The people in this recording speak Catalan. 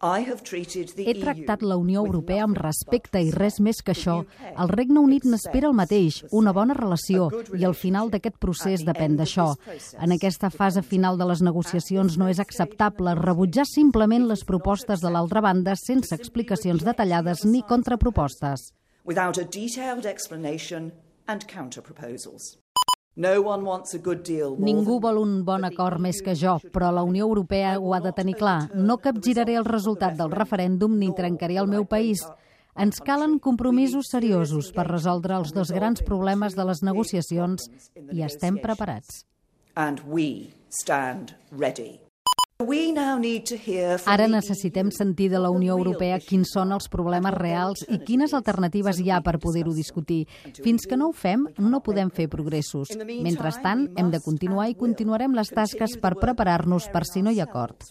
He tractat la Unió Europea amb respecte i res més que això. El Regne Unit n'espera el mateix, una bona relació, i el final d'aquest procés depèn d'això. En aquesta fase final de les negociacions no és acceptable rebutjar simplement les propostes de l'altra banda sense explicacions detallades ni contrapropostes. Without a detailed explanation and counter-proposals. Ningú vol un bon acord més que jo, però la Unió Europea ho ha de tenir clar. No capgiraré el resultat del referèndum ni trencaré el meu país. Ens calen compromisos seriosos per resoldre els dos grans problemes de les negociacions i estem preparats. Ara necessitem sentir de la Unió Europea quins són els problemes reals i quines alternatives hi ha per poder-ho discutir. Fins que no ho fem, no podem fer progressos. Mentrestant, hem de continuar i continuarem les tasques per preparar-nos per si no hi ha acord.